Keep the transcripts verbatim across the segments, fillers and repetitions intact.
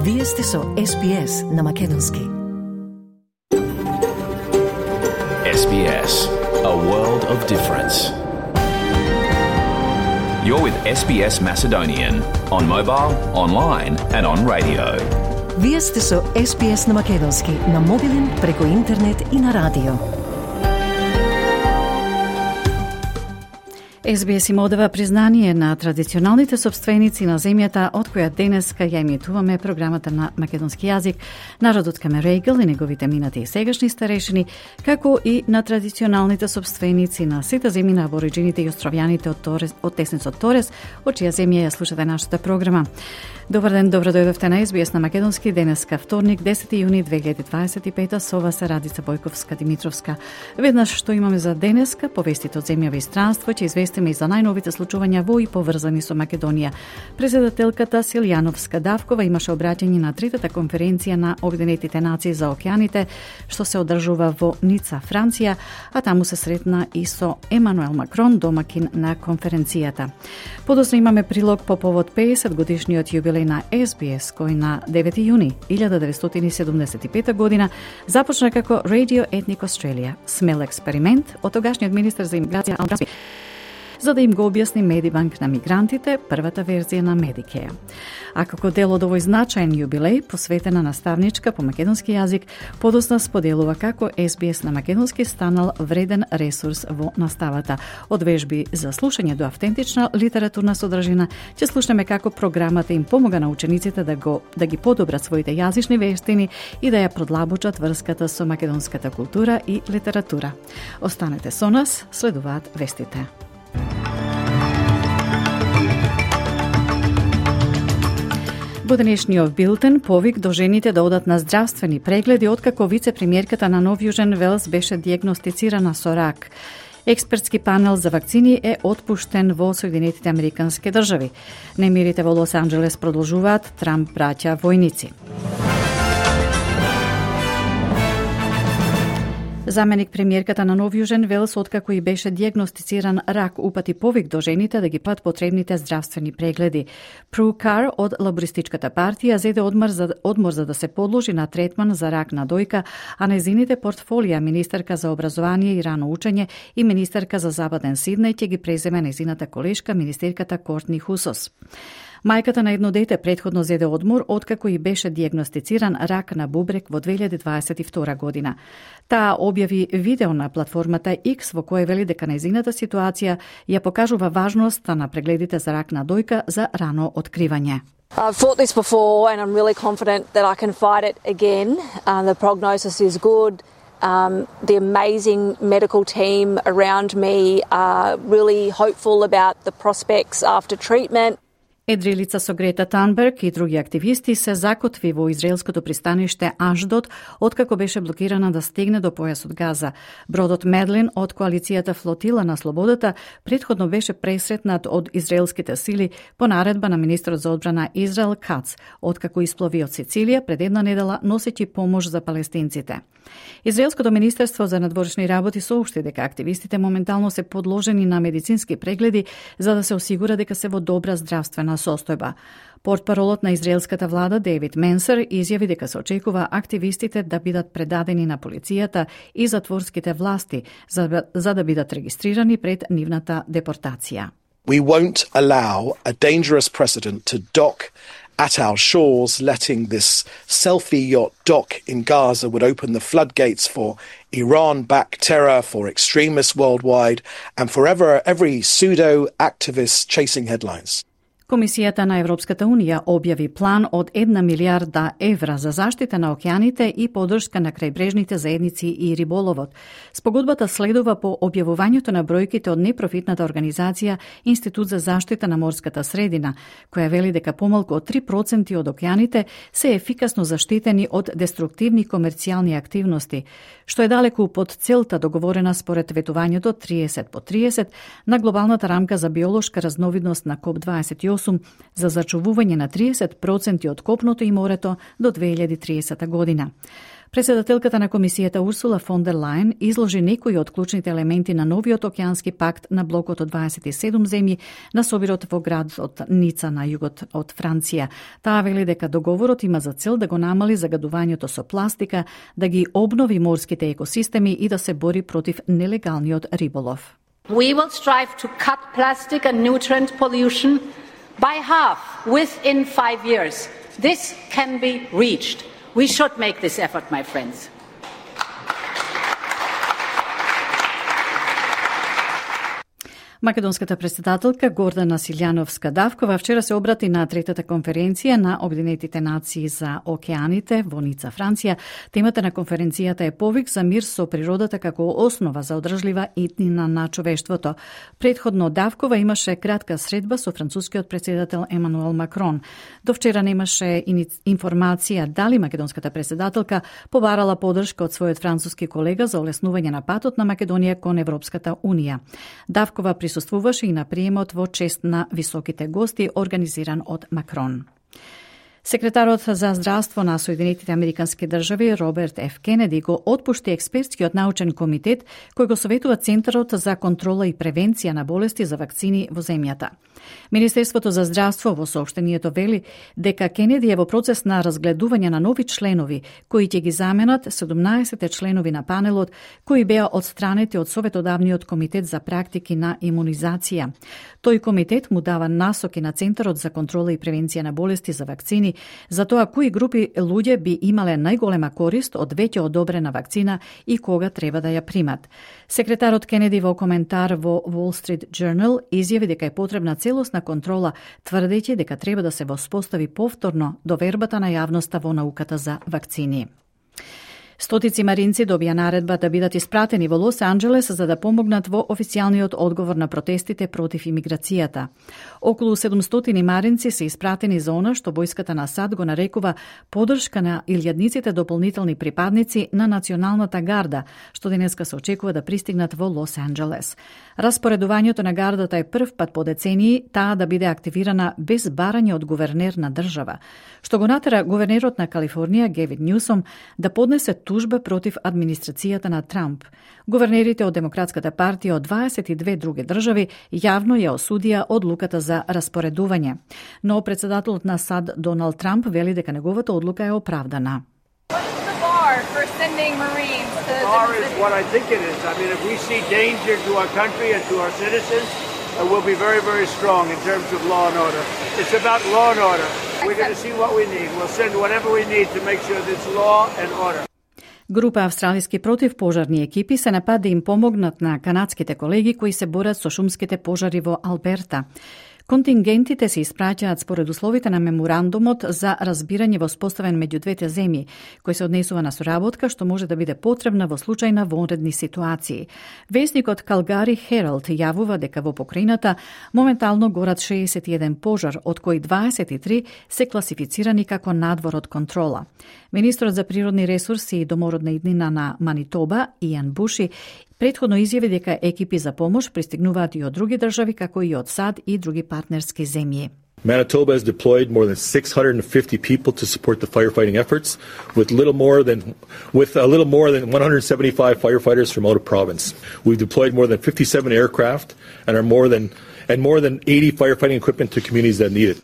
Вие сте со Ес Би Ес на Македонски. Ес Би Ес, a world of difference. You're with Ес Би Ес Macedonian on mobile, online and on radio. Вие сте со Ес Би Ес на Македонски, на мобилен, преку интернет и на радио. Ес Би Ес им одава признание на традиционалните собственици на земјата од која денеска ја емитуваме програмата на македонски јазик, народот Камерејгл и неговите минати и сегашни старешини, како и на традиционалните собственици на сите земји на абориджините и островјаните од, Торес, од Тесницот Торес, од чија земја ја слушате нашата програма. Добар ден, добро дојдовте на Ес Би Ес на Македонски, денеска вторник, десети јуни две илјади дваесет и пета, со вас е Радица Бојковска-Димитровска. Веднаш што имаме за денеска, повестите од земјава и странство, ќе известиме и за најновите случувања во и поврзани со Македонија. Председателката Силјановска Давкова имаше обраќање на третата конференција на Обединетите нации за океаните, што се одржува во Ница, Франција, а таму се сретна и со Емануел Макрон, домакин на конференцијата. Подоцна имаме прилог по повод педесет годишниот јубилеј на Ес Би Ес, кој на девети јуни илјада деветстотини седумдесет и пета година започна како Radio Ethnic Australia, смел експеримент од тогашниот министер за имиграција Ал Расби, за да им го објасни Медибанк на мигрантите, првата верзија на Медикеја. А како дел од овој значаен јубилеј, посветена наставничка по македонски јазик, подоцна споделува како Ес Би Ес на македонски станал вреден ресурс во наставата. Од вежби за слушање до автентична литературна содржина, ќе слушнеме како програмата им помога на учениците да го да ги подобрат своите јазични вештини и да ја продлабочат врската со македонската култура и литература. Останете со нас, следуваат вестите. Во денешниот билтен повик до жените да одат на здравствени прегледи откако вице-премиерката на Нов Јужен Велс беше дијагностицирана со рак. Експертски панел за вакцини е отпуштен во Соединетите Американски држави. Немирите во Лос Анџелес продолжуваат, Трамп праќа војници. Заменик премиерката на Нов Јужен Велс, откако и беше дијагностициран рак, упати повик до жените да ги пат потребните здравствени прегледи. Пру Кар од Лабористичката партија зеде одмор за, одмор за да се подложи на третман за рак на дојка, а незините портфолија, министерка за образование и рано учење и министерка за Западен Сиднеј, ќе ги преземе незината колешка, министерката Кортни Хусос. Мајката на едно дете претходно зеде одмор откако и беше дијагностициран рак на бубрек во две илјади дваесет и втора година. Таа објави видео на платформата X во кое вели дека незината ситуација ја покажува важноста на прегледите за рак на дојка за рано откривање. I've fought this before and I'm really confident that I can fight it again. Um, the prognosis is good. Um, the amazing medical team around me are really hopeful about the prospects after treatment. Едрилица со Грета Танберг и други активисти се закотви во израелското пристаниште Ашдод, откако беше блокирана да стигне до појасот Газа. Бродот Медлин од коалицијата Флотила на слободата претходно беше пресретнат од израелските сили по наредба на министрот за одбрана Израел Кац, откако исплови од Сицилија пред една недела носејќи помош за палестинците. Израелското министерство за надворешни работи соопшти дека активистите моментално се подложени на медицински прегледи за да се осигура дека се во добра здравствена состојба. Портпаролот на израелската влада Дейвид Менсер изјави дека се очекува активистите да бидат предадени на полицијата и затворските власти за, за да бидат регистрирани пред нивната депортација. We won't allow a dangerous precedent to dock at our shores. Letting this selfie yacht dock in Gaza would open the floodgates for Iran-backed terror, for extremists worldwide, and for ever, every pseudo-activist chasing headlines. Комисијата на Европската Унија објави план од една милијарда евра за заштита на океаните и поддршка на крајбрежните заедници и риболовот. Спогодбата следува по објавувањето на бројките од непрофитната организација Институт за заштита на морската средина, која вели дека помалку од три проценти од океаните се ефикасно заштитени од деструктивни комерцијални активности, што е далеку под целта договорена според ветувањето триесет по триесет на глобалната рамка за биолошка разновидност на коп дваесет и осум за зачувување на триесет проценти од копното и морето до две илјади и триесета година. Председателката на комисијата Урсула фон дер Лајен изложи некои од клучните елементи на новиот океански пакт на блокот од дваесет и седум земји на собирот во градот Ница на југот од Франција. Таа вели дека договорот има за цел да го намали загадувањето со пластика, да ги обнови морските екосистеми и да се бори против нелегалниот риболов. We will strive to cut plastic and nutrient pollution by half within five years. This can be reached. We should make this effort, my friends. Македонската председателка Гордана Силјановска-Давкова вчера се обрати на третата конференција на Обединетите нации за океаните во Ница, Франција. Темата на конференцијата е повик за мир со природата како основа за одржлива иднина на човештвото. Предходно Давкова имаше кратка средба со францускиот председател Емануел Макрон. До вчера немаше информација дали македонската председателка побарала поддршка од својот француски колега за олеснување на патот на Македонија кон Европската унија. Давкова присуствуваше и на приемот во чест на високите гости, организиран од Макрон. Секретарот за здравство на Соединетите Американски држави Роберт Ф. Кенеди го отпушти експертскиот научен комитет кој го советува Центарот за контрола и превенција на болести за вакцини во земјата. Министерството за здравство во соопштението вели дека Кенеди е во процес на разгледување на нови членови кои ќе ги заменат седумнаесет членови на панелот кои беа отстранети од Советодавниот комитет за практики на имунизација. Тој комитет му дава насоки на Центарот за контрола и превенција на болести за вакцини за тоа кои групи луѓе би имале најголема корист од веќе одобрена вакцина и кога треба да ја примат. Секретарот Кенеди во коментар во Wall Street Journal изјави дека е потребна целосна контрола, тврдејќи дека треба да се воспостави повторно довербата на јавноста во науката за вакцини. Стотици маринци добија наредба да бидат испратени во Лос Анџелес за да помогнат во официјалниот одговор на протестите против имиграцијата. Околу седумстотини маринци се испратени за она што војската на САД го нарекува поддршка на илјадниците дополнителни припадници на Националната гарда, што денеска се очекува да пристигнат во Лос Анџелес. Распоредувањето на гардата е прв пат по децении таа да биде активирана без барање од гувернер на држава, што го натера гувернерот на Калифорнија Гевин Њусом да поднесе тужба против администрацијата на Трамп. Гувернерите од Демократската партија од дваесет и две други држави јавно ја осудија одлуката за распоредување. Но председателот на САД Доналд Трамп вели дека неговата одлука е оправдана. We'll be very, very strong in terms of law and order. It's about law and order. We're going to see what we need. We'll send whatever we need to make sure there's law and order. Група австралиски противпожарни екипи се напад да им помогнат на канадските колеги кои се борат со шумските пожари во Алберта. Контингентите се испраќаат според условите на меморандумот за разбирање воспоставен меѓу двете земји, кој се однесува на соработка што може да биде потребна во случај на вонредни ситуации. Весникот Калгари Хералд јавува дека во покрајината моментално горат шеесет и еден пожар, од кои дваесет и три се класифицирани како надвор од контрола. Министрот за природни ресурси и домородна иднина на Манитоба, Иан Буши, предходно изјави дека екипи за помош пристигнуваат и од други држави, како и од САД и други партнерски земји. Manitoba has deployed more than six hundred fifty people to support the firefighting efforts, with little more than with a little more than one hundred seventy-five firefighters from out of province. We've deployed more than fifty-seven aircraft and are more than and more than eighty firefighting equipment to communities that need it.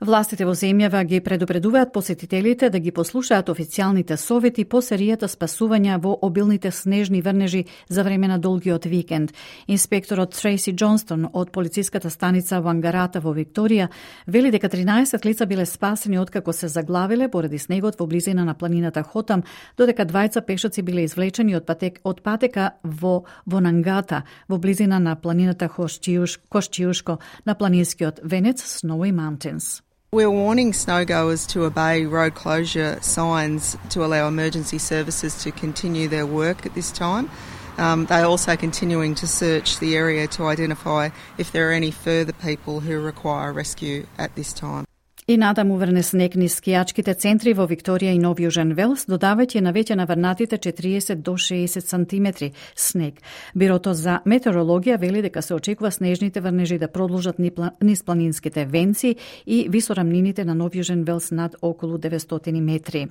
Властите во земјава ги предупредуваат посетителите да ги послушаат официјалните совети по серијата спасувања во обилните снежни врнежи за време на долгиот викенд. Инспекторот Трейси Џонстон од полициската станица Вангарата во Викторија вели дека тринаесет лица биле спасени откако се заглавиле поради снегот во близина на планината Хотам, додека двајца пешаци биле извлечени од, патек, од патека во Вонангата, во близина на планината Кошчиушко на планинскиот венец Snowy Mountains. We're warning snowgoers to obey road closure signs to allow emergency services to continue their work at this time. Um, they're also continuing to search the area to identify if there are any further people who require rescue at this time. И натаму врне снег низ скијачките центри во Викторија и Нов Јужен Велс, додавајќи на веќе наврнатите четириесет до шеесет сантиметри снег. Бирото за метеорологија вели дека се очекува снежните врнежи да продолжат низ планинските венци и висорамнините на Нов Јужен Велс над околу деветстотини метри.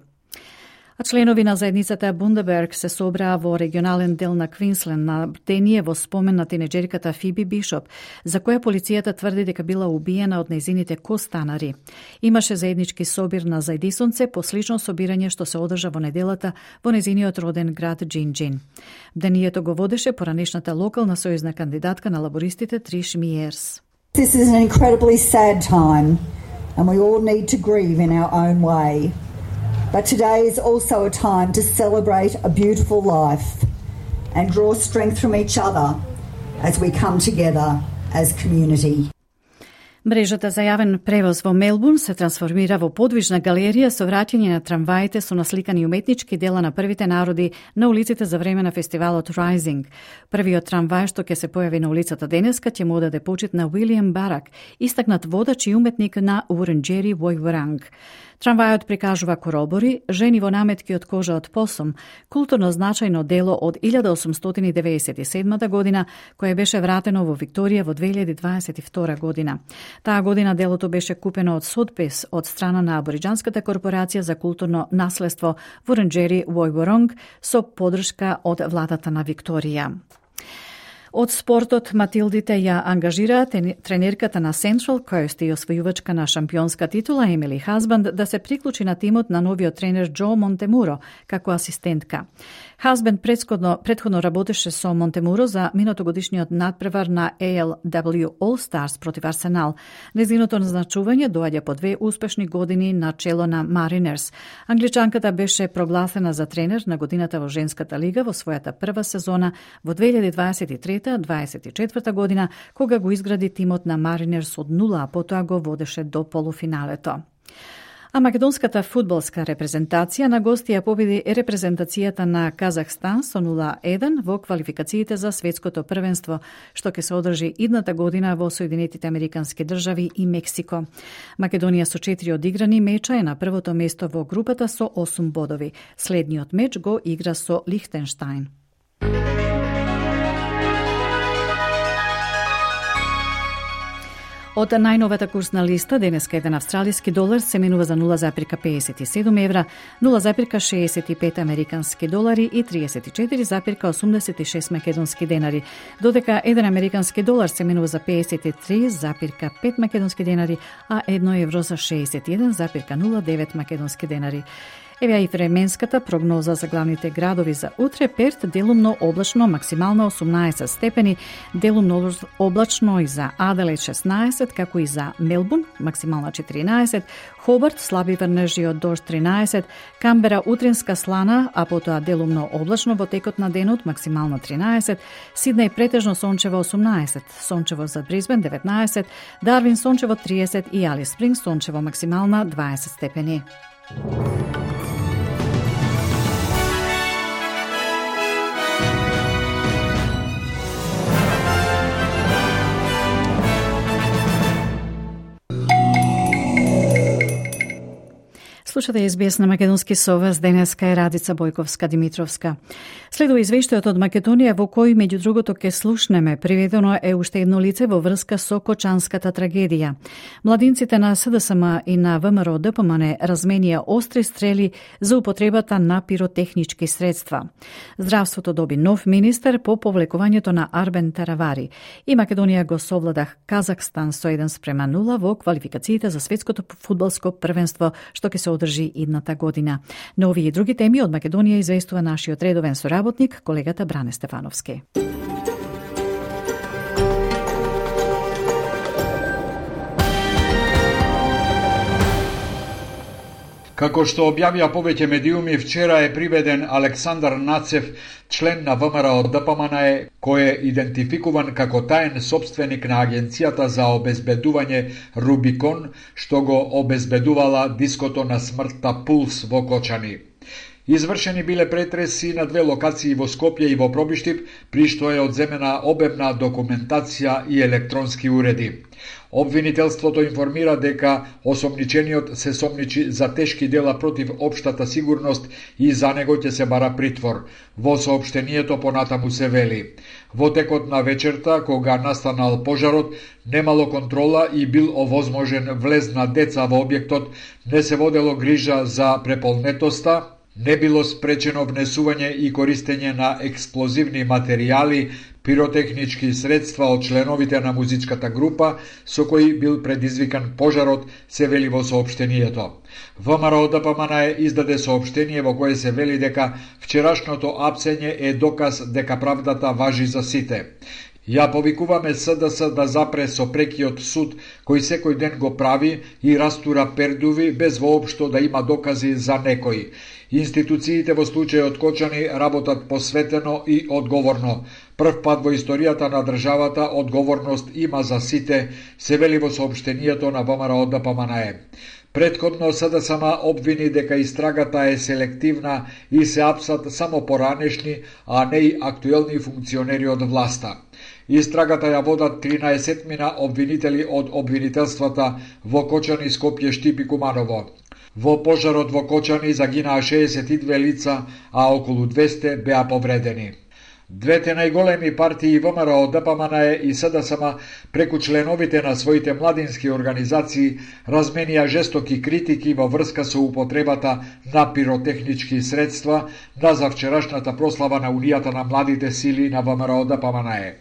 А членови на заедницата Бундеберг се собраа во регионален дел на Квинсленд на бдение во спомен на тинеџерката Фиби Бишоп, за која полицијата тврди дека била убиена од нејзините костанари. Имаше заеднички собир на Зајдисонце по слично собирање што се одржа во неделата во нејзиниот роден град Џинџин. Бдението го водеше поранешната локална сојузна кандидатка на лабористите Триш Миерс. This is an incredibly sad time and we all need to grieve in our own way. But today is also a time to celebrate a beautiful life and draw strength from each other as we come together as community. Мрежата за јавен превоз во Мелбурн се трансформира во подвижна галерија со враќање на трамваите со насликани уметнички дела на првите народи на улиците за време на фестивалот Rising. Првиот трамвај што ќе се појави на улицата денеска ќе му одаде почит на Уилијам Барак, истакнат водач и уметник на Вурунџери Војворанг. Трамвајот прикажува коробори, жени во наметки од кожа од посум, културно значајно дело од илјада осумстотини деветдесет и седма година, кое беше вратено во Викторија во две илјади дваесет и втора година. Таа година делото беше купено од Сотпес од страна на Абориџанската корпорација за културно наследство Вурунџери Војворанг со поддршка од владата на Викторија. Од спортот Матилдите ја ангажираа тренерката на Central Coast и освојувачка на шампионска титула Емили Хазбанд да се приклучи на тимот на новиот тренер Џо Монтемуро како асистентка. Хазбанд претходно, претходно работеше со Монтемуро за минатогодишниот надпревар на A L W All Stars против Арсенал. Нејзиното назначување доаѓа по две успешни години на чело на Маринерс. Англичанката беше прогласена за тренер на годината во женската лига во својата прва сезона во две илјади дваесет и трета дваесет и четврта година, кога го изгради тимот на Маринерс од нула, а потоа го водеше до полуфиналето. А македонската фудбалска репрезентација на гости ја победи репрезентацијата на Казахстан со нула еден во квалификациите за светското првенство, што ќе се одржи идната година во Соединетите Американски држави и Мексико. Македонија со четири одиграни меча е на првото место во групата со осум бодови. Следниот меч го игра со Лихтенштајн. Од најновата курсна листа, денеска еден австралиски долар се менува за нула запирка педесет и седум евра, нула запирка шеесет и пет американски долари и триесет и четири запирка осумдесет и шест македонски денари, додека еден американски долар се менува за педесет и три запирка пет македонски денари, а едно евро за шеесет и еден запирка нула девет македонски денари. Еве и временската прогноза за главните градови за утре. Перт делумно облачно, максимално осумнаесет степени, делумно облачно и за Аделаид шеснаесет, како и за Мелбурн, максимална четиринаесет, Хобарт слаби врнежи од дожд тринаесет, Камбера утринска слана, а потоа делумно облачно во текот на денот, максимално тринаесет, Сиднеј претежно сончево осумнаесет, сончево за Брисбен деветнаесет, Дарвин сончево триесет и Алис Спрингс сончево максимална дваесет степени. Слушате Ес Би Ес на Македонски совес, денеска е Радица Бојковска-Димитровска. Следува извештајот од Македонија во кој, меѓу другото, ке слушнеме, приведено е уште едно лице во врска со Кочанската трагедија. Младинците на С Д С М и на В М R Д П М Н разменија остри стрели за употребата на пиротехнички средства. Здравството доби нов министер по повлекувањето на Арбен Таравари и Македонија го совладах Казахстан со еден спрема нула во квалификациите за светското фудбалско првенство, што ќе се одржи идната година. На овие и други теми од Македонија известува нашиот редовен соработник, колегата Бране Стефановски. Како што објавија повеќе медиуми, вчера е приведен Александар Нацев, член на В М R Д П М Н, кој е идентификуван како таен собственик на Агенцијата за обезбедување Рубикон, што го обезбедувала диското на смртта Пулс во Кочани. Извршени биле претреси на две локации во Скопје и во Пробиштип, при што е одземена обемна документација и електронски уреди. Обвинителството информира дека осомничениот се сомничи за тешки дела против општата сигурност и за него ќе се бара притвор. Во соопштението понатаму се вели: во текот на вечерта, кога настанал пожарот, немало контрола и бил овозможен влез на деца во објектот, не се водело грижа за преполнетоста, Не било спречено внесување и користење на експлозивни материјали, пиротехнички средства од членовите на музичката група со кои бил предизвикан пожарот, се вели во соопштението. ВМРО Д П М Н Е издаде соопштение во кое се вели дека вчерашното апсење е доказ дека правдата важи за сите. Ја повикуваме С Д С да запре со прекиот суд кој секој ден го прави и растура пердуви без воопшто да има докази за некој. Институциите во случајот Кочани работат посветено и одговорно. Прв пат во историјата на државата одговорност има за сите, се вели во соопштението на ВМРО Д П М Н Е. Предходно С Д С М обвини дека истрагата е селективна и се апсат само поранешни, а не и актуелни функционери од власта. Истрагата ја водат тринаесет мина обвинители од обвинителствата во Кочани, Скопје, Штип и Куманово. Во пожарот во Кочани загинаа шеесет и две лица, а околу двесте беа повредени. Двете најголеми партии ВМРО Д П М Н Е и С Д С М преку членовите на своите младински организации разменија жестоки критики во врска со употребата на пиротехнички средства на завчерашната прослава на Унијата на младите сили на ВМРО Д П М Н Е.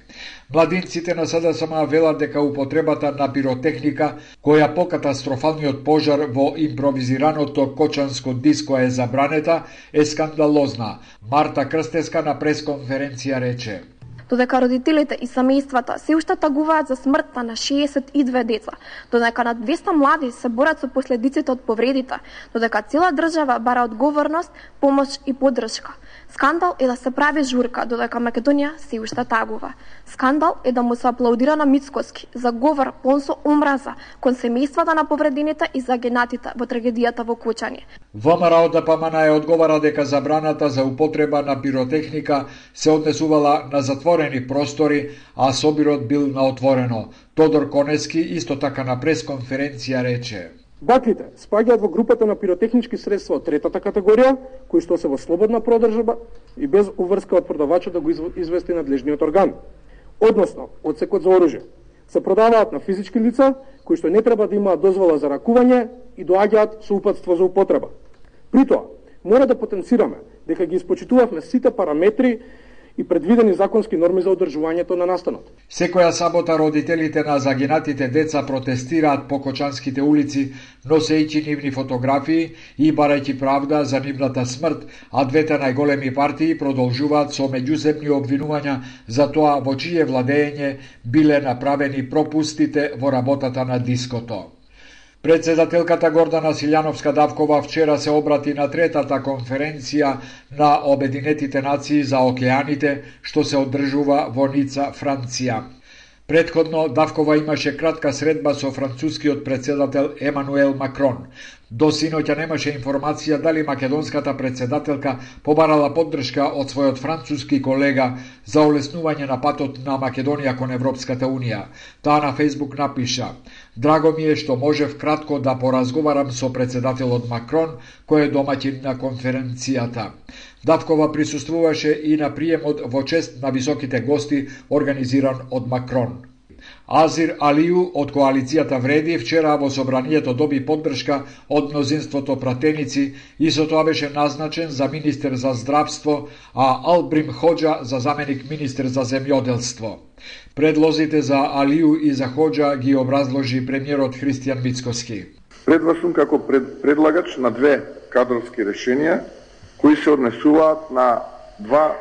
Младинците на С Д С М велат дека употребата на пиротехника, која по катастрофалниот пожар во импровизираното Кочанско диско е забранета, е скандалозна. Марта Крстеска на пресконференција рече: додека родителите и семејствата се уште тагуваат за смртта на шеесет и две деца, додека на двесте млади се борат со последиците од повредите, додека цела држава бара одговорност, помош и поддршка. Скандал е да се прави журка, додека Македонија се уште тагува. Скандал е да му се аплаудира на Мицкоски за говор полн со омраза кон семејствата на повредените и загинатите во трагедијата во Кочани. ВМРО Д П М Н Е одговара дека забраната за употреба на пиротехника се однесувала на затворени простори, а собирот бил на отворено. Тодор Конески исто така на пресконференција рече: Баклите спаѓаат во групата на пиротехнички средства од третата категорија, кои што се во слободна продржба и без уврска од продавачот да го извести надлежниот орган. Односно, одсекот за оружје. Се продаваат на физички лица, кои што не треба да имаат дозвола за ракување и доаѓаат со упатство за употреба. При тоа, мора да потенцираме дека ги испочитувавме сите параметри и предвидени законски норми за одржувањето на настанот. Секоја сабота родителите на загинатите деца протестираат по кочанските улици, носејќи нивни фотографии и барајќи правда за нивната смрт, а двете најголеми партии продолжуваат со меѓусебни обвинувања за тоа во чие владење биле направени пропустите во работата на диското. Председателката Гордана Силјановска-Давкова вчера се обрати на третата конференција на Обединетите нации за океаните, што се одржува во Ница, Франција. Предходно Давкова имаше кратка средба со францускиот председател Емануел Макрон. До синоќа немаше информација дали македонската председателка побарала поддршка од својот француски колега за олеснување на патот на Македонија кон Европската Унија. Таа на Фејсбук напиша: "Драго ми е што можев кратко да поразговарам со председателот Макрон, кој е домаќин на конференцијата." Давкова присуствуваше и на приемот во чест на високите гости организиран од Макрон. Азир Алију од коалицијата Вреди вчера во собранието доби поддршка од мнозинството пратеници и со тоа беше назначен за министер за здравство, а Албрим Хоџа за заменик министер за земјоделство. Предлозите за Алију и за Хоџа ги образложи премиерот Христијан Мицкоски. Пред вас сум како пред, предлагач на две кадровски решенија кои се однесуваат на два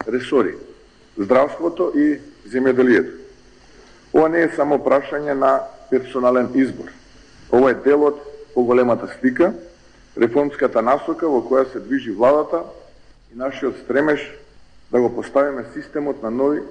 ресори – здравството и земјоделието. Ова не е само прашање на персонален избор. Ова е дел од поголемата слика, реформската насока во која се движи владата и нашиот стремеж да го поставиме системот на нови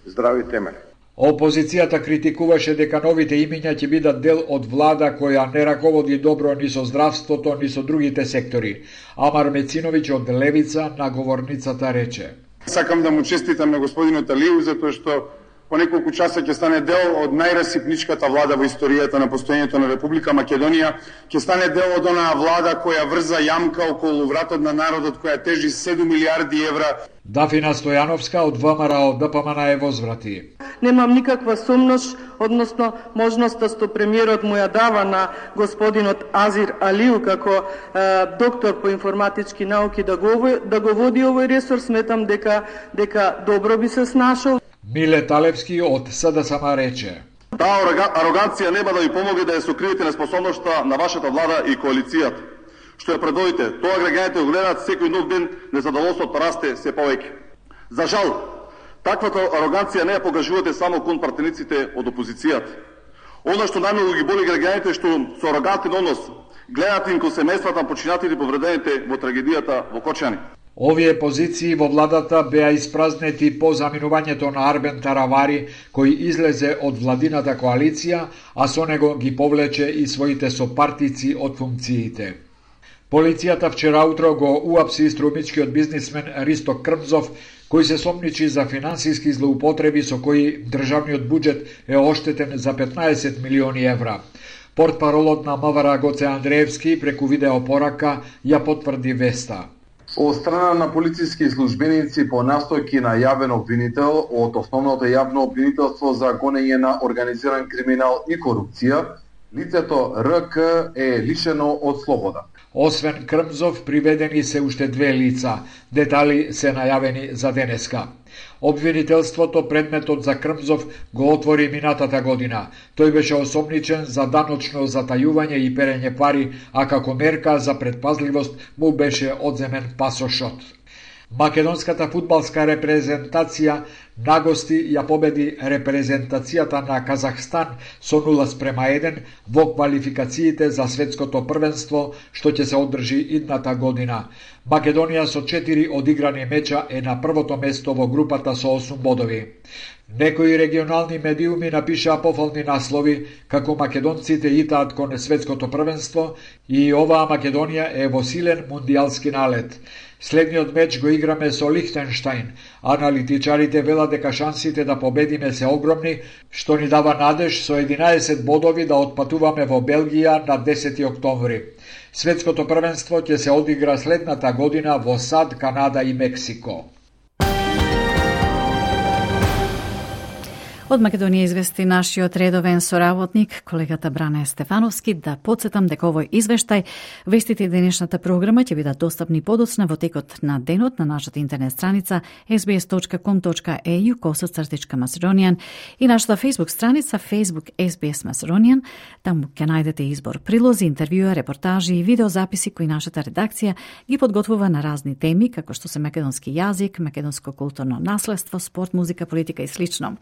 здрави темели. Опозицијата критикуваше дека новите имиња ќе бидат дел од влада која не раководи добро ни со здравството, ни со другите сектори. Амар Мециновиќ од Левица на говорницата рече: Сакам да му честитам на господинот Алију затоа што по неколку часа ќе стане дел од најрасипничката влада во историјата на постоењето на Република Македонија, ќе стане дел од онаа влада која врза јамка околу вратот на народот, која тежи седум милиарди евра. Дафина Стојановска од ВМРО ДПМН е возврати. Немам никаква сумнош, односно можноста што премиерот му ја дава на господинот Азир Алиу како е, доктор по информатички науки да го, да го води овој ресор, сметам дека дека добро би се снашол. Миле Талевски од СДСМ рече: Таа ароганција нема да ви помогне да ја сокриете неспособноста на вашата влада и коалицијата. Што ја предводите, тоа граѓаните го гледаат секој нов ден, незадоволството расте се повеќе. За жал, таквата ароганција не ја покажувате само кон партениците од опозицијата. Оно што најмногу ги боли граѓаните што со арогантен однос гледате им кон семејствата на починатите и повредените во трагедијата во Кочани. Овие позиции во владата беа испразнети по заминувањето на Арбен Таравари, кој излезе од владината коалиција, а со него ги повлече и своите сопартици од функциите. Полицијата вчера утро го уапси струмичкиот бизнисмен Ристо Крмзов, кој се сомничи за финансиски злоупотреби со кои државниот буџет е оштетен за петнаесет милиони евра. Портпаролот на МВР Гоце Андреевски преку видеопорака ја потврди веста. Од страна на полициски службеници по настојки на јавен обвинител од основното јавно обвинителство за гонење на организиран криминал и корупција, лицето Р К е лишено од слобода. Освен Крмзов, приведени се уште две лица. Детали се најавени за денеска. Обвинителството предметот за Крмзов го отвори минатата година. Тој беше осомничен за даночно затајување и перење пари, а како мерка за предпазливост му беше одземен пасошот. Македонската фудбалска репрезентација нагости ја победи репрезентацијата на Казахстан со нула спрема еден во квалификациите за светското првенство што ќе се одржи идната година. Македонија со четири одиграни меча е на првото место во групата со осум бодови. Некои регионални медиуми напишаа пофални наслови како македонците итаат кон светското првенство и оваа Македонија е во силен мундијалски налет. Следниот меч го играме со Лихтенштајн. Аналитичарите велат дека шансите да победиме се огромни, што ни дава надеж со единаесет бодови да отпатуваме во Белгија на десети октомври. Светското првенство ќе се одигра следната година во САД, Канада и Мексико. Од Македонија извести нашиот редовен соработник, колегата Бране Стефановски, да подсетам дека овој извештај, вестите и денешната програма ќе бидат достапни подоцна во текот на денот на нашата интернет страница ес би ес точка ком точка е ю косацртичка Macedonian и нашата Facebook страница Facebook ес би ес Macedonian. Таму ќе најдете избор прилози, интервјуа, репортажи и видеозаписи кои нашата редакција ги подготвува на разни теми, како што се македонски јазик, македонско културно наследство, спорт, музика, политика и слично.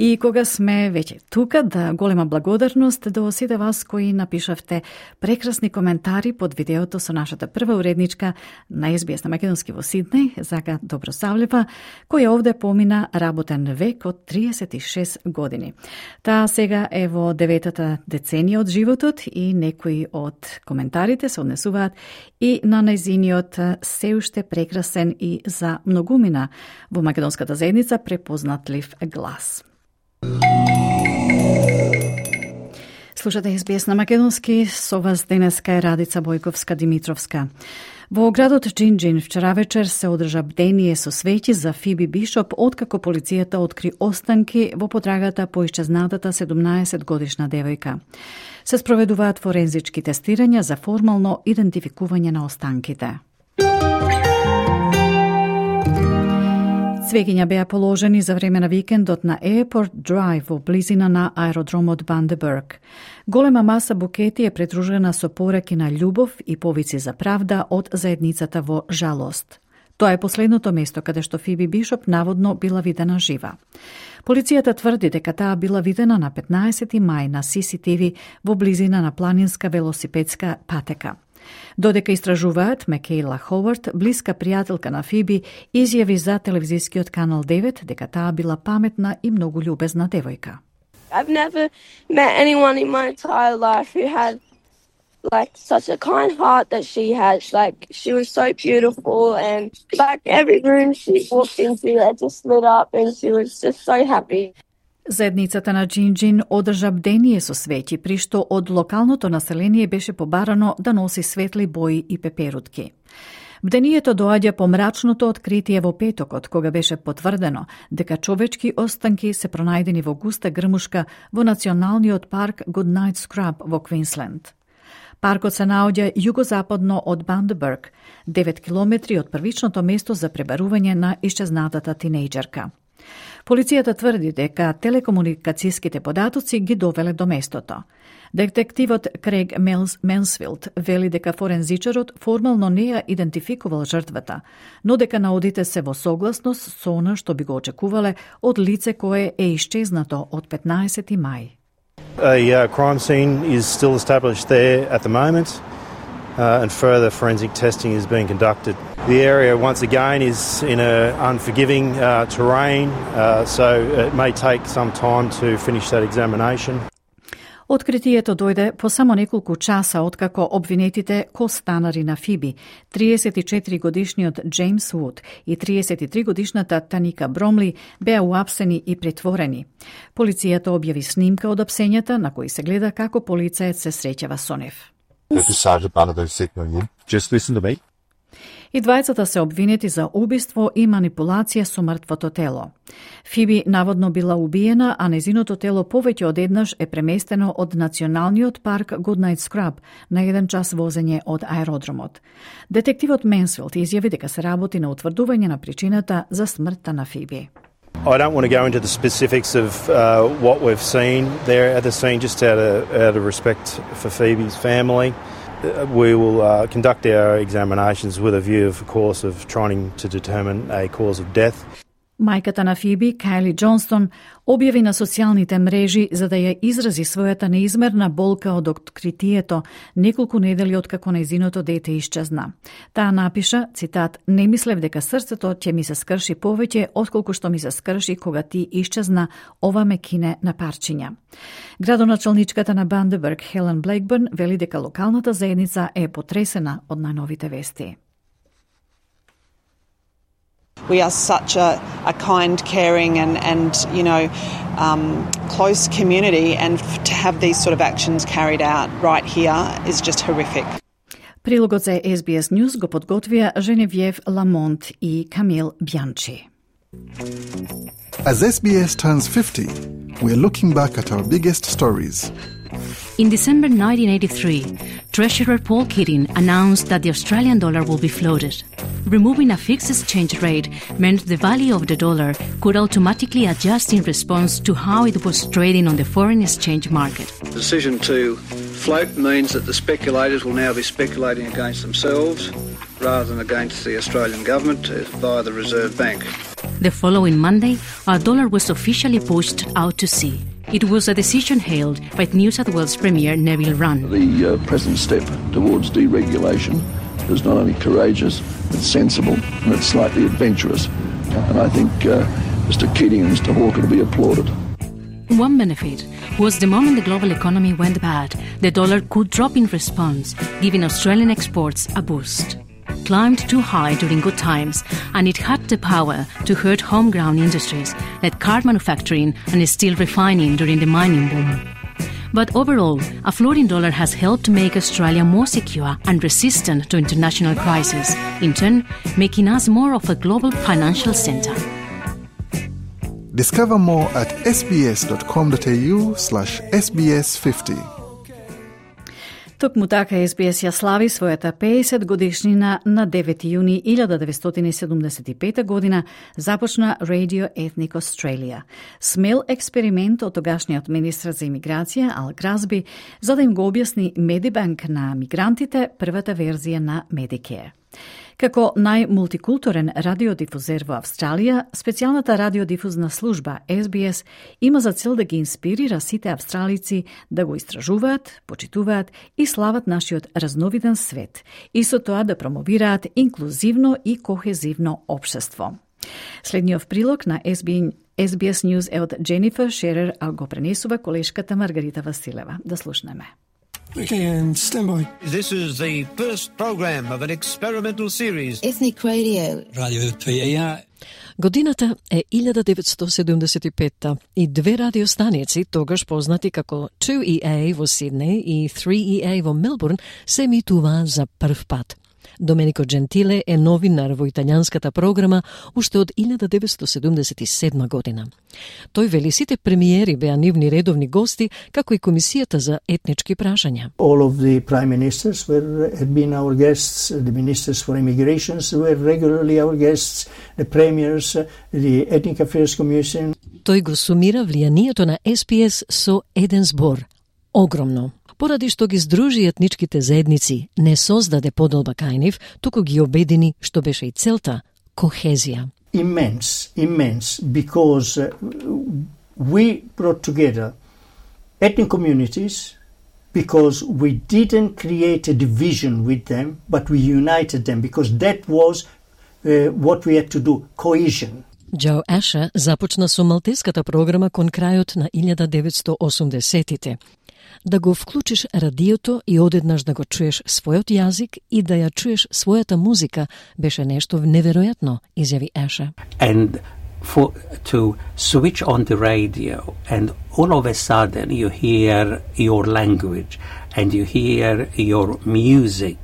И кога сме веќе тука, да голема благодарност до сите вас кои напишавте прекрасни коментари под видеото со нашата прва уредничка на ес би ес на македонски во Сиднеј, Зага Добросавлева, која овде помина работен век од триесет и шест години. Таа сега е во деветата деценија од животот и некои од коментарите се однесуваат и на нејзиниот се уште прекрасен и за многумина во македонската заедница препознатлив глас. Слушате ес би ес на македонски, со вас денеска е Радица Бојковска-Димитровска. Во градот Џинџин вчера вечер се одржа бдение со свеќи за Фиби Бишоп, откако полицијата откри останки во потрагата по исчезнатата седумнаесет годишна девојка. Се спроведуваат форензички тестирања за формално идентификување на останките. Цвеќиња беа положени за време на викендот на Airport Drive во близина на аеродромот Бандебург. Голема маса букети е придружена со пораки на љубов и повици за правда од заедницата во жалост. Тоа е последното место каде што Фиби Бишоп наводно била видена жива. Полицијата тврди дека таа била видена на петнаесети мај на Си Си Ти Ви во близина на планинска велосипедска патека. Додека истражуваат, Мекейла Ховард, блиска пријателка на Фиби, изјави за телевизискиот канал девет дека таа била паметна и многу љубезна девојка. I've never met anyone in my entire life who had like such a kind heart that she had. Like she was so beautiful, and like every room she walked into, it just lit up, and she was just so happy. Заедницата на Џинџин одржа бдение со свеќи, при што од локалното население беше побарано да носи светли бои и пеперутки. Бдението доаѓа по мрачното откритие во петокот, кога беше потврдено дека човечки останки се пронајдени во густа грмушка во националниот парк Goodnight Scrub во Квинсленд. Паркот се наоѓа југозападно од Bundaberg, девет километри од првичното место за пребарување на исчезнатата тинејџерка. Полицијата тврди дека телекомуникацијските податоци ги довеле до местото. Детективот Крейг Менсфилд вели дека форензичарот формално не ја идентификувал жртвата, но дека наодите се во согласност со она што би го очекувале од лице кое е исчезнато од петнаесети мај. A uh, crime scene is still established there at the moment, uh, and further forensic testing is being conducted. The area, once again, is in an unforgiving uh, terrain, uh, so it may take some time to finish that examination. Откритието дојде по само неколку часа откако обвинетите костанари на Фиби, триесет и четири годишниот Джеймс Вуд и триесет и три годишната Таника Бромли, беа уапсени и притворени. Полицијата објави снимка од апсењата на кои се гледа како полицаец се среќава со нив. Just listen to me. И двајцата се обвинети за убиство и манипулација со мртвото тело. Фиби наводно била убиена, а незиното тело повеќе од еднаш е преместено од националниот парк Goodnight Scrub на еден час возење од аеродромот. Детективот Менсфилд изјави дека се работи на утврдување на причината за смртта на Фиби. I don't want to go into the specifics of uh, what we've seen there at the scene, just out of, out of respect for Phoebe's family. We will uh, conduct our examinations with a view, of course, of trying to determine a cause of death. Мајката на Фиби, Кайли Џонстон, објави на социјалните мрежи за да ја изрази својата неизмерна болка од откритието неколку недели откако нејзиното дете исчезна. Таа напиша, цитат, "Не мислев дека срцето ќе ми се скрши повеќе отколку што ми се скрши кога ти исчезна, ова ме кине на парчиња." Градоначалничката на Bundaberg, Хелен Блейкбърн, вели дека локалната заедница е потресена од најновите вести. We are such a, a kind, caring and, and you know, um, close community, and to have these sort of actions carried out right here is just horrific. Прилогот за Ес Би Ес News го подготвија Женевјев Ламонт и Камил Бјанчи. As S B S turns fifty, we're looking back at our biggest stories. In December nineteen eighty-three, Treasurer Paul Keating announced that the Australian dollar will be floated. Removing a fixed exchange rate meant the value of the dollar could automatically adjust in response to how it was trading on the foreign exchange market. The decision to float means that the speculators will now be speculating against themselves rather than against the Australian government via the Reserve Bank. The following Monday, our dollar was officially pushed out to sea. It was a decision hailed by New South Wales Premier Neville Wran. The uh, President's step towards deregulation is not only courageous, it's sensible and it's slightly adventurous. And I think uh, Mister Keating and Mister Hawke will be applauded. One benefit was the moment the global economy went bad, the dollar could drop in response, giving Australian exports a boost. Climbed too high during good times, and it had the power to hurt homegrown industries like car manufacturing and steel refining during the mining boom. But overall, a floating dollar has helped make Australia more secure and resistant to international crises, in turn making us more of a global financial centre. Discover more at sbs.com.au slash sbs50. Токму така Ес Би Ес ја слави својата пеесет годишнина на девети јуни илјада деветстотини седумдесет и пета година започна Radio Ethnic Australia. Смел експеримент од тогашниот министр за имиграција Ал Гразби за да им го објасни Медибанк на мигрантите првата верзија на Medicare. Како најмултикултурен радиодифузер во Австралија, специјалната радиодифузна служба Ес Би Ес има за цел да ги инспирира сите австралици да го истражуваат, почитуваат и слават нашиот разновиден свет и со тоа да промовираат инклузивно и кохезивно општество. Следниот прилог на Ес Би Ес News е од Дженифер Шерер, а го пренесува колешката Маргарита Василева. Да слушнеме. Okay, and stand by. This is the first program of an experimental series. Ethnic Radio. Radio P E R. Годината е илјада деветстотини седумдесет и петта и две радиостаници, тогаш познати како two E A во Сиднеј и three E A во Мелбурн, се емитуваа за прв пат. Доменико Джентиле е новинар во италијанската програма уште од илјада деветстотини седумдесет и седма година. Тој вели сите премиери беа нивни редовни гости, како и комисијата за етнички прашања. All of the prime ministers were had been our guests, the ministers for immigrations were regularly our guests, the premiers, the ethnic affairs commission. Тој го сумира влијанието на С П С со еден збор: огромно. Поради што ги здружи етничките заедници, не создаде поделба кај нив, туку ги обедини, што беше и целта, кохезија. Immense, immense, because uh, we brought together ethnic communities, because we didn't create a division with them, but we united them, because that was uh, what we had to do, cohesion. Џо Аша започна со малтеската програма кон крајот на илјада деветстотини осумдесетите. Да го вклучиш радиото и одеднаш да го чуеш својот јазик и да ја чуеш својата музика беше нешто неверојатно, изјави Аша. And for to switch on the radio and all of a sudden you hear your language and you hear your music.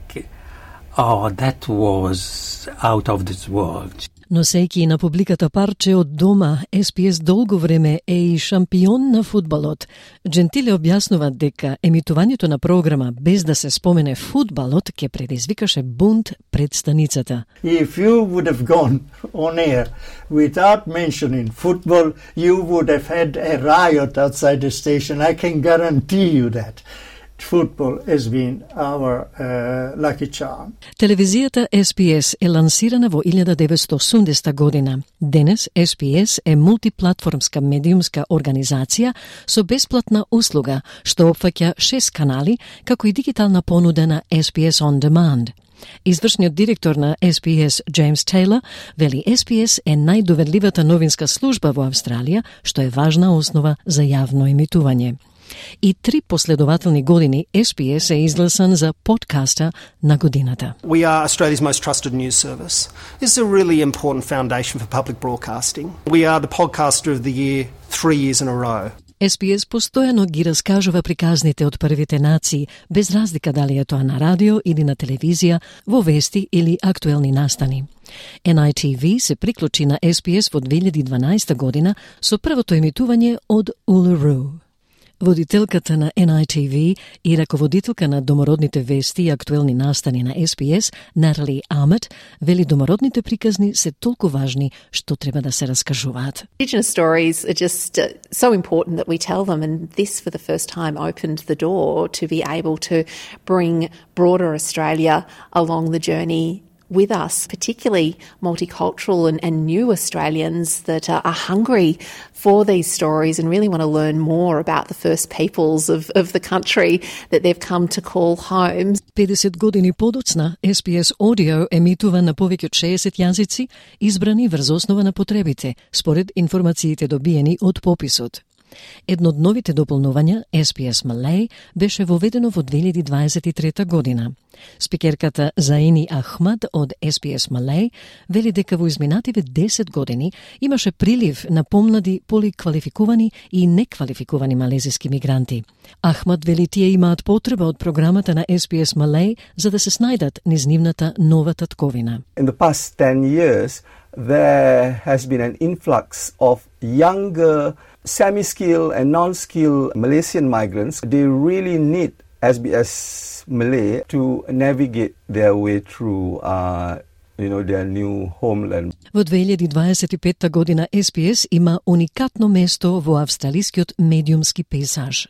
Oh, that was out of this world. Носејќи на публиката парче од дома, С П С долго време е и шампион на фудбалот. Джентиле објаснува дека емитувањето на програма без да се спомене фудбалот ќе предизвикаше бунт пред станицата. If you would have gone on air without mentioning football, you would have had a riot outside the station. I can guarantee you that. Football has been our uh, lucky charm. Телевизијата С П С е лансирана во илјада деветстотини осумдесета година. Денес С П С е мултиплатформска медиумска организација со бесплатна услуга што опфаќа шест канали, како и дигитална понуда на С П С On Demand. Извршниот директор на С П С, Джеймс Тейлор, вели С П С е најдоверливата новинска служба во Австралија, што е важна основа за јавно емитување. И три последователни години С П С е изгласан за подкаста на годината. We are Australia's most trusted news service. This is a really important foundation for public broadcasting. We are the podcaster of the year three years in a row. С П С постојано ги раскажува приказните од првите нации, без разлика дали е тоа на радио или на телевизија, во вести или актуелни настани. Н I T V се приклучи на С П С во две илјади и дванаесета година со првото емитување од Улуру. Водителката на Н I T V и раководителка на домородните вести и актуелни настани на С П С, Натали Амет, вели домородните приказни се толку важни што треба да се раскажуваат. Indigenous stories are just uh, so important that we tell them, and this for the first time opened the door to be able to bring broader Australia along the journey with us, particularly multicultural and, and new Australians that are, are hungry for these stories and really want to learn more about the first peoples of, of the country that they've come to call home. педесет години подоцна, С П С Audio емитува на повеќе од шеесет јазици, избрани врз основа на потребите, според информациите добиени од пописот. Едно од новите дополнувања, С П С Malay, беше воведено во две илјади дваесет и трета година. Спикерката Заини Ахмад од С П С Malay вели дека во изминативе десет години имаше прилив на помлади, поликвалификувани и неквалификувани малезиски мигранти. Ахмад вели тие имаат потреба од програмата на С П С Malay за да се снајдат низ нивната нова татковина. In the past ten years, there has been an influx of younger semi-skilled and non-skilled Malaysian migrants. They really need S B S Malay to navigate their way through uh, you know, their new homeland. Во две илјади дваесет и петта година С П С има уникатно место во австралискиот медиумски пейзаж.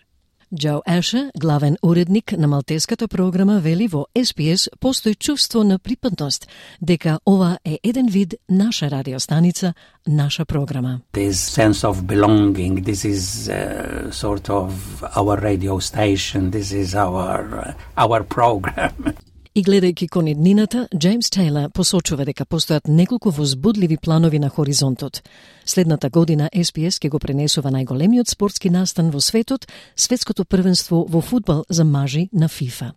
Џо Аша, главен уредник на малтеската програма, вели во С П С постои чувство на припадност, дека ова е еден вид наша радиостаница, наша програма. This sense of belonging, this is uh, sort of our radio station, this is our, uh, our program. И гледајќи кон иднината, Джеймс Тейлор посочува дека постојат неколку возбудливи планови на хоризонтот. Следната година С П С ќе го пренесува најголемиот спортски настан во светот, светското првенство во фудбал за мажи на ФИФА.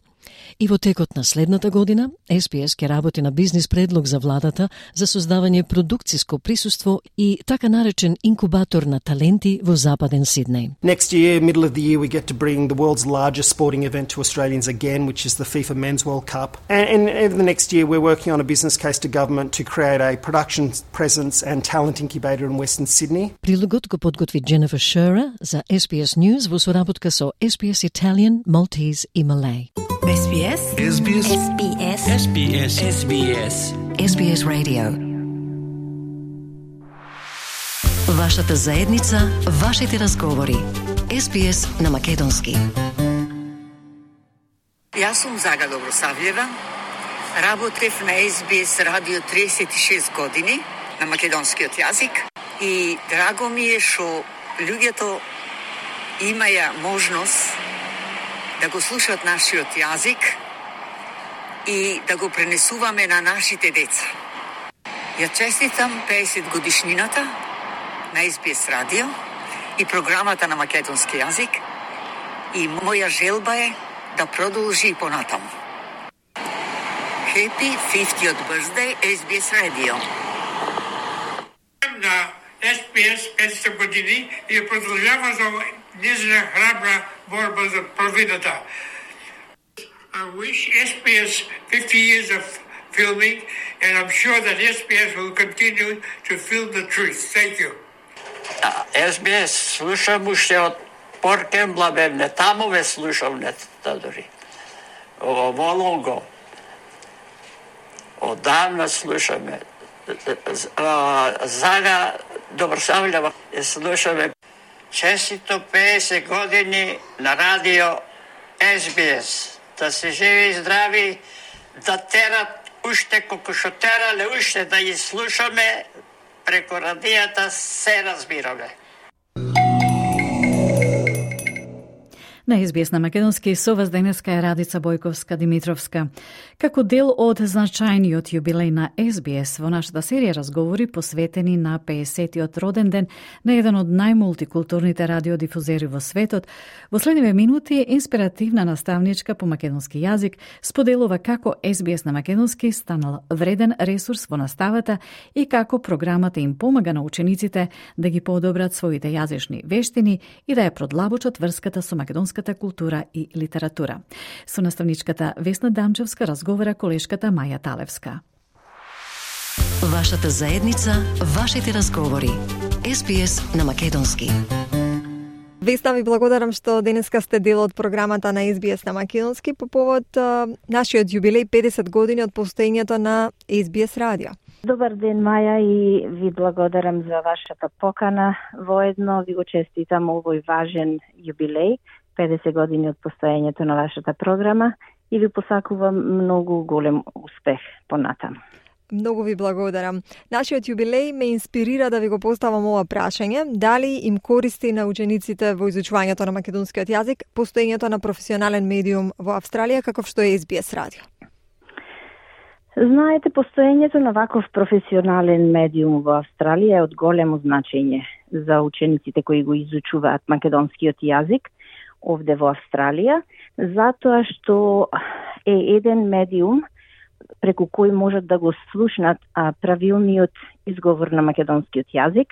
И во текот на следната година, Ес Би Ес ќе работи на бизнис предлог за владата за создавање продукциско присуство и така наречен инкубатор на таленти во Западен Сиднеј. Next year, middle of the year, we get to bring the world's largest sporting event to Australians again, which is the FIFA Men's World Cup. And, and over the next year, we're working on a business case to government to create a production presence and talent incubator in Western Sydney. Прилогот го подготви Дженефер Шера за Ес Би Ес News во соработка со Ес Би Ес Italian, Maltese и Malay. Ес Би Ес. Ес Би Ес. Ес Би Ес. Ес Би Ес. Ес Би Ес. Ес Би Ес Radio. Вашата заедница, вашите разговори. Ес Би Ес на македонски. Јас сум Зага Добросављева. Работев на Ес Би Ес радио триесет и шест години на македонскиот јазик и драго ми е што луѓето имаја можност да го слушаат нашиот јазик и да го пренесуваме на нашите деца. Ја честитам педесет годишнината на Ес Би Ес радио и програмата на македонски јазик и моја желба е да продолжи и понатаму. Happy fiftieth birthday Ес Би Ес Radio. На Ес Би Ес петдесет години и продолжава за незина храбра борба за правдата. I wish Ес Би Ес fifty years of filming, and I'm sure that Ес Би Ес will continue to film the truth. Thank you. Ес Би Ес слушам уште од Поркен Блабевне, таму ве слушам нета дори. Во Лонго. Одамна слушаме. Зага Добросављева слушаме. Честито педесет години на радио Ес Би Ес. Да се живи и здрави, да терат уште колку шо терале, уште да ги слушаме преку радијата, се разбираме. На Ес Би Ес на македонски со вас денеска е Радица Бојковска-Димитровска. Како дел од значајниот јубилеј на Ес Би Ес во нашата серија разговори посветени на педесетиот роден ден на еден од најмултикултурните радиодифузери во светот, во следниве минути инспиративна наставничка по македонски јазик споделува како Ес Би Ес на македонски станал вреден ресурс во наставата и како програмата им помага на учениците да ги подобрат своите јазични вештини и да ја продлабочат врската со македонска култура и литература. Со наставничката Весна Дамчевска разговара колешката Маја Талевска. Вашата заедница, вашите разговори. Ес Би Ес на македонски. Весна, ви благодарам што денеска сте дел од програмата на Ес Би Ес на македонски по повод а, нашиот јубилеј педесет години од постоењето на Ес Би Ес радио. Добар ден, Маја, и ви благодарам за вашата покана. Воедно ви го честитам овој важен јубилеј, педесет години од постоењето на вашата програма и ви посакувам многу голем успех понатаму. Многу ви благодарам. Нашиот јубилеј ме инспирира да ви го поставам ова прашање. Дали им користи на учениците во изучувањето на македонскиот јазик постоењето на професионален медиум во Австралија, каков што е Ес Би Ес радио? Знаете, постоењето на ваков професионален медиум во Австралија е од големо значење за учениците кои го изучуваат македонскиот јазик овде во Австралија, затоа што е еден медиум преку кој можат да го слушнат а, правилниот изговор на македонскиот јазик.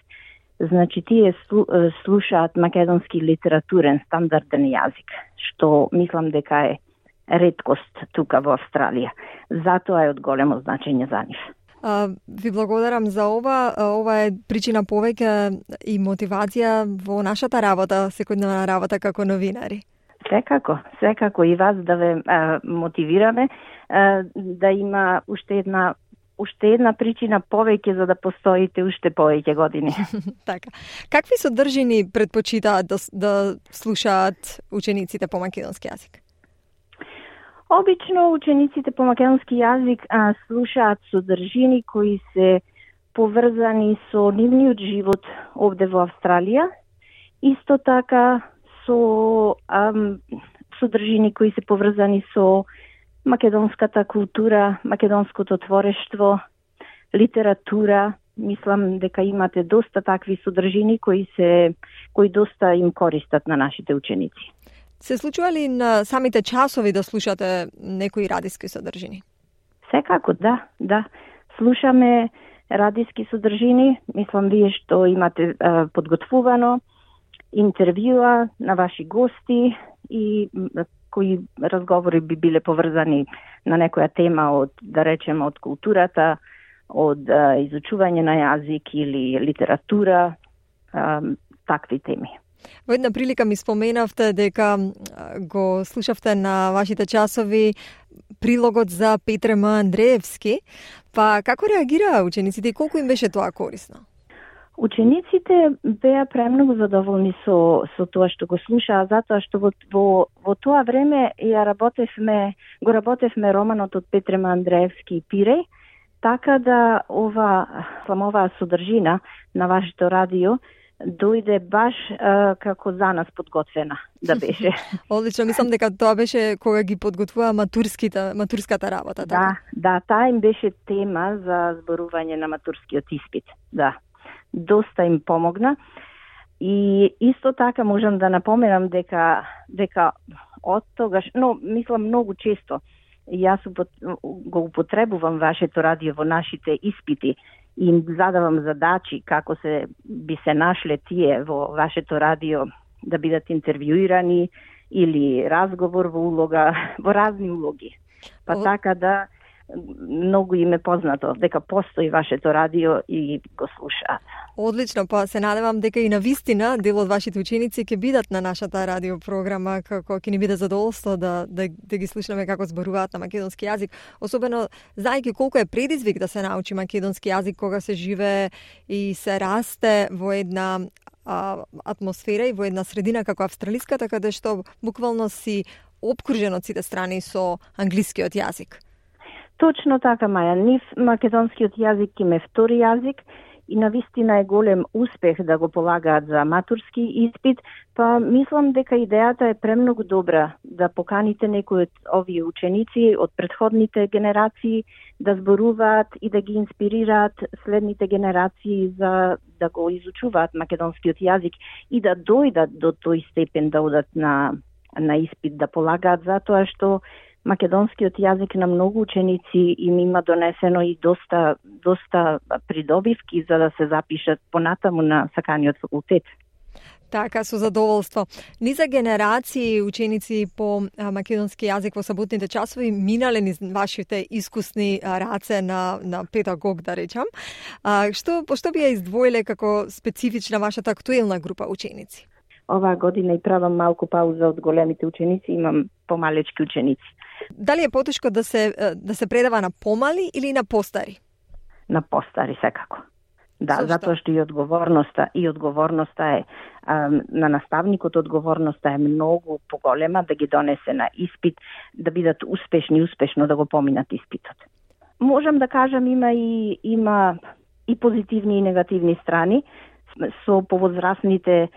Значи, тие слу, слушаат македонски литературен, стандарден јазик, што мислам дека е реткост тука во Австралија. Затоа е од големо значење за нив. А, ви благодарам за ова. Ова е причина повеќе и мотивација во нашата работа, секојдневна работа како новинари. Секако, секако и вас да ве а, мотивираме а, да има уште една уште една причина повеќе за да постоите уште повеќе години. Така. Какви содржини предпочитаат да, да слушаат учениците по македонски јазик? Обично учениците по македонски јазик а, слушаат содржини кои се поврзани со нивниот живот овде во Австралија. Исто така со ам, содржини кои се поврзани со македонската култура, македонското творештво, литература. Мислам дека имате доста такви содржини кои се кои доста им користат на нашите ученици. Се случува ли на самите часови да слушате некои радиски содржини? Секако, да, да. Слушаме радиски содржини. Мислам, вие што имате а, подготвувано интервјуа на ваши гости и кои разговори би биле поврзани на некоја тема од, да речеме, од културата, од а, изучување на јазик или литература, а, такви теми. Во една прилика ми споменавте дека го слушавте на вашите часови прилогот за Петре М. Андреевски, па како реагираа учениците и колку им беше тоа корисно? Учениците беа премногу задоволни со со тоа што го слушаа, затоа што во во, во тоа време ја работевме, го работевме романот од Петре М. Андреевски и Пиреј, така да ова сламоваа содржина на вашето радио дојде баш а, како за нас подготвена да беше. Одлично, мислам дека тоа беше кога ги подготвува матурските, матурската работа, да, така? Да, таа им беше тема за зборување на матурскиот испит. Да. Доста им помогна. И исто така можам да напоменам дека дека од тогаш, но мислам многу често јас го употребувам вашето радио во нашите испити и им задавам задачи како се би се нашле тие во вашето радио да бидат интервјуирани или разговор во улога, во разни улоги. Па О... така да многу им е познато дека постои вашето радио и го слушаат. Одлично, па се надевам дека и на вистина дел од вашите ученици ќе бидат на нашата радиопрограма, како ќе ни биде задоволство да, да, да ги слушнеме како зборуваат на македонски јазик, особено знаејќи колку е предизвик да се научи македонски јазик кога се живее и се расте во една а, атмосфера и во една средина како австралиската, каде што буквално си обкружен од сите страни со англискиот јазик. Точно така, Маја. Нив македонскиот јазик им е втори јазик и навистина е голем успех да го полагаат за матурски испит, па мислам дека идејата е премногу добра да поканите некои од овие ученици од претходните генерации да зборуваат и да ги инспирираат следните генерации за да го изучуваат македонскиот јазик и да дојдат до тој степен да одат на на испит да полагаат, затоа што македонскиот јазик на многу ученици им има донесено и доста доста придобивки за да се запишат понатаму на саканиот факултет. Така, со задоволство. Ни за генерации ученици по македонски јазик во саботните часови минале низ вашите искусни раце на, на педагог, да речам. А, што, што би ја издвоиле како специфична вашата актуелна група ученици? Оваа година и правам малку пауза од големите ученици, имам помалечки ученици. Дали е потешко да се да се предава на помали или на постари? На постари секако. Да, Зошто? Затоа што и одговорноста и одговорноста е а, на наставникот, одговорноста е многу поголема да ги донесе на испит, да бидат успешни, успешно да го поминат испитот. Можам да кажам има и има и позитивни и негативни страни. Со повозрастните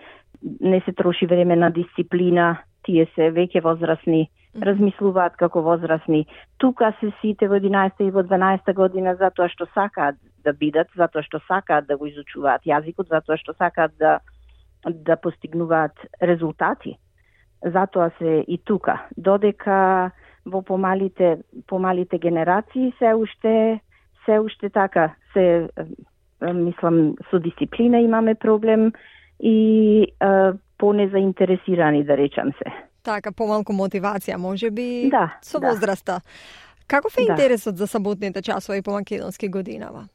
не се троши време на дисциплина, тие се веќе возрастни, размислуваат како возрастни. Тука се сите во единаесетта и во дванаесетта година затоа што сакаат да бидат, затоа што сакаат да го изучуваат јазикот, затоа што сакаат да да постигнуваат резултати. Затоа се и тука. Додека во помалите помалите генерации се уште се уште така се мислам со дисциплина имаме проблем и а, понезаинтересирани, да речам се. Така, помалку мотивација, може би, да, со да. возраста. Каков е да. интересот за саботните часови по македонски годинава?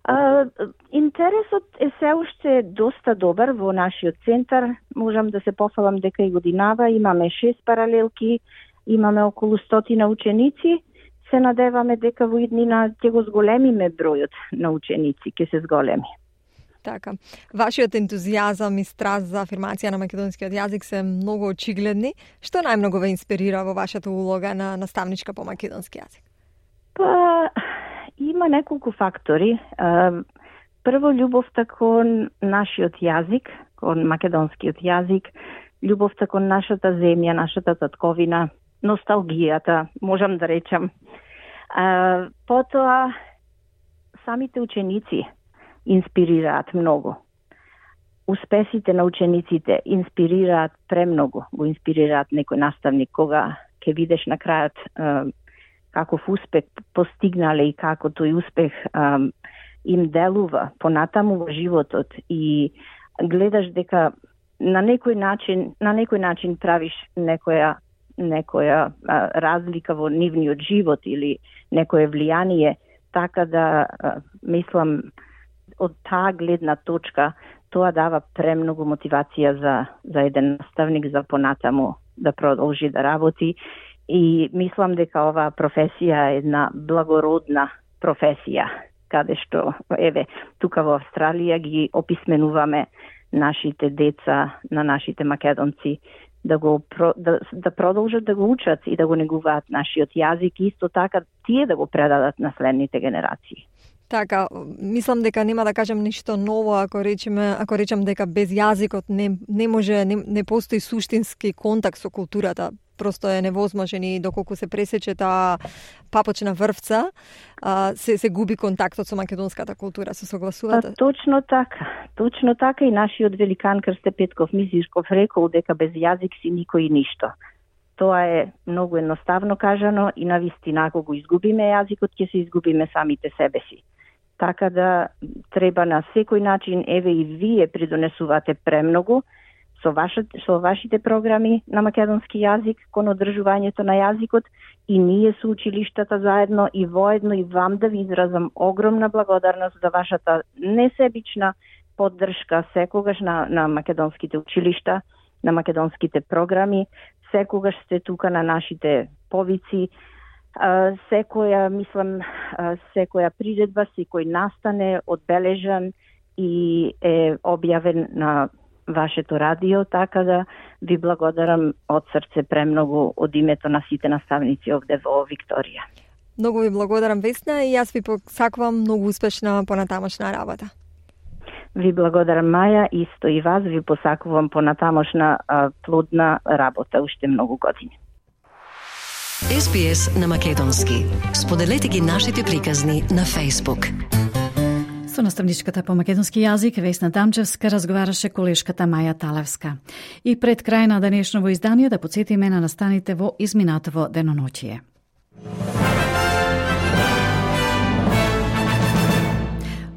А, интересот е се уште доста добар во нашиот центар. Можам да се пофалам дека и годинава имаме шест паралелки, имаме околу стотина ученици. Се надеваме дека во иднина ќе го зголемиме бројот на ученици, ќе се зголеми. Така. Вашиот ентузијазам и страст за афирмација на македонскиот јазик се многу очигледни. Што најмногу ве инспирира во вашата улога на наставничка по македонски јазик? Па, има неколку фактори. Прво, љубовта кон нашиот јазик, кон македонскиот јазик, љубовта кон нашата земја, нашата татковина, носталгијата, можам да речам. Потоа, самите ученици инспирираат многу. успесите на учениците инспирираат премногу, го инспирираат некој наставник кога ќе видиш на крајот е, каков успех постигнале и како тој успех е, им делува понатаму во животот и гледаш дека на некој начин, на некој начин правиш некоја некоја а, разлика во нивниот живот или некое влијание, така да а, мислам од таа гледна точка тоа дава премногу мотивација за за еден наставник за понатаму да продолжи да работи и мислам дека оваа професија е една благородна професија, каде што еве тука во Австралија ги описменуваме нашите деца, на нашите македонци да го да, да продолжат да го учат и да го негуваат нашиот јазик и исто така тие да го предадат на следните генерации. Така, мислам дека нема да кажам ништо ново ако речеме, ако речам дека без јазикот не не може не, не постои суштински контакт со културата. Просто е невозможен и доколку се пресече таа папочна врвца, а, се се губи контактот со македонската култура. Се согласувате? А, точно така. Точно така и нашиот великан Крсте Петков Мизишков рекол дека без јазик си никој и ништо. Тоа е многу едноставно кажано и навистина ако го изгубиме јазикот ќе се изгубиме самите себе си. Така да треба на секој начин, еве и вие придонесувате премногу со вашите, со вашите програми на македонски јазик кон одржувањето на јазикот и ние со училиштата заедно и воедно и вам да ви изразам огромна благодарност за вашата несебична поддршка секогаш на, на македонските училишта, на македонските програми, секогаш сте тука на нашите повици, секоја, мислам, секоја приредба, секој настане одбележан и е објавен на вашето радио, така да ви благодарам од срце премногу од името на сите наставници овде во Викторија. Многу ви благодарам, Весна, и јас ви посакувам многу успешна понатамошна работа. Ви благодарам, Маја, исто и вас ви посакувам понатамошна а, плодна работа уште многу години. Ес Би Ес на македонски. Споделете ги нашите приказни на Facebook. Со наставничката по македонски јазик Весна Дамчевска разговараше колешката Маја Талевска. И пред крај на денешново издание да подсетиме на настаните во изминатово деноноќие.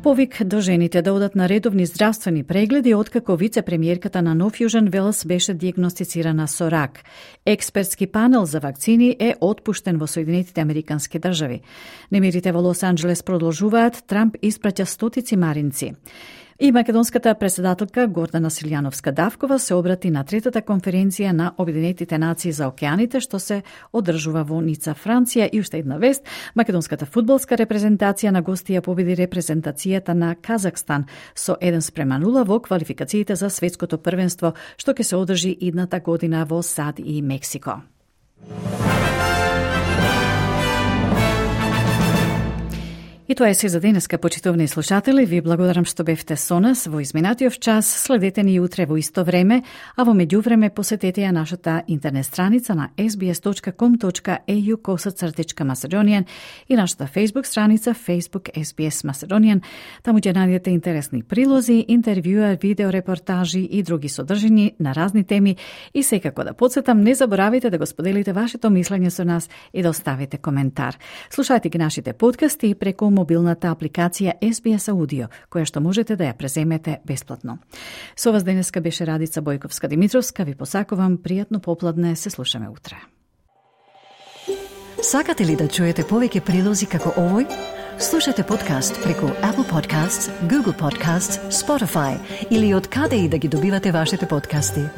Повик до жените да одат на редовни здравствени прегледи откако вице-премиерката на Нов Јужен Велс беше дијагностицирана со рак. Експертски панел за вакцини е отпуштен во Соединетите Американски држави. Немирите во Лос Анџелес продолжуваат, Трамп испраќа стотици маринци. И македонската председателка Гордана Силјановска-Давкова се обрати на третата конференција на Обединетите нации за океаните, што се одржува во Ница, Франција. И уште една вест, македонската фудбалска репрезентација на гостија победи репрезентацијата на Казахстан со еден спрема нула во квалификациите за светското првенство, што ќе се одржи идната година во САД и Мексико. И тоа е се за денеска, почитувани слушатели. Ви благодарам што бевте со нас во изминатиот час. Следете ни утре во исто време, а во меѓувреме посетете ја нашата интернет страница на ес би ес точка ком точка ей ю косацртичка Macedonian и нашата Facebook страница Facebook ес би ес Macedonian. Таму ќе најдете интересни прилози, интервјуа, видеорепортажи и други содржини на разни теми. И секако да подсетам, не заборавите да го споделите вашето мислење со нас и да оставите коментар. Слушајте ги нашите подкасти преку мобилната апликација Ес Би Ес Audio, која што можете да ја преземете бесплатно. Со вас денеска беше Радица Бојковска-Димитровска. Ви посакувам пријатно попладне, се слушаме утре. Сакате ли да чуете повеќе прилози како овој? Слушате подкаст преку Apple Podcasts, Google Podcasts, Spotify или од каде и да ги добивате вашите подкасти.